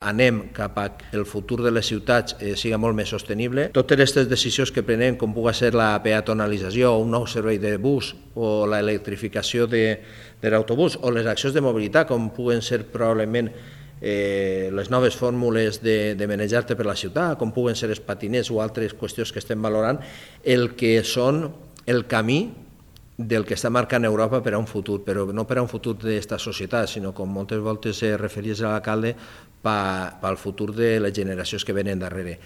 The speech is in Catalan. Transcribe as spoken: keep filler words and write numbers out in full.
anem cap a que el futur de les ciutats eh, siga molt més sostenible. Totes aquestes decisions que prenem, com pugui ser la peatonalització, un nou servei de bus o l'electrificació de, de l'autobús o les accions de mobilitat, com puguen ser probablement eh, les noves fórmules de, de manejar-te per la ciutat, com puguen ser els patinets o altres qüestions que estem valorant, el que són el camí del que està marcant Europa per a un futur, però no per a un futur d'esta societat, sinó, com moltes voltes es referís a l'alcalde, pel futur de les generacions que venen darrere.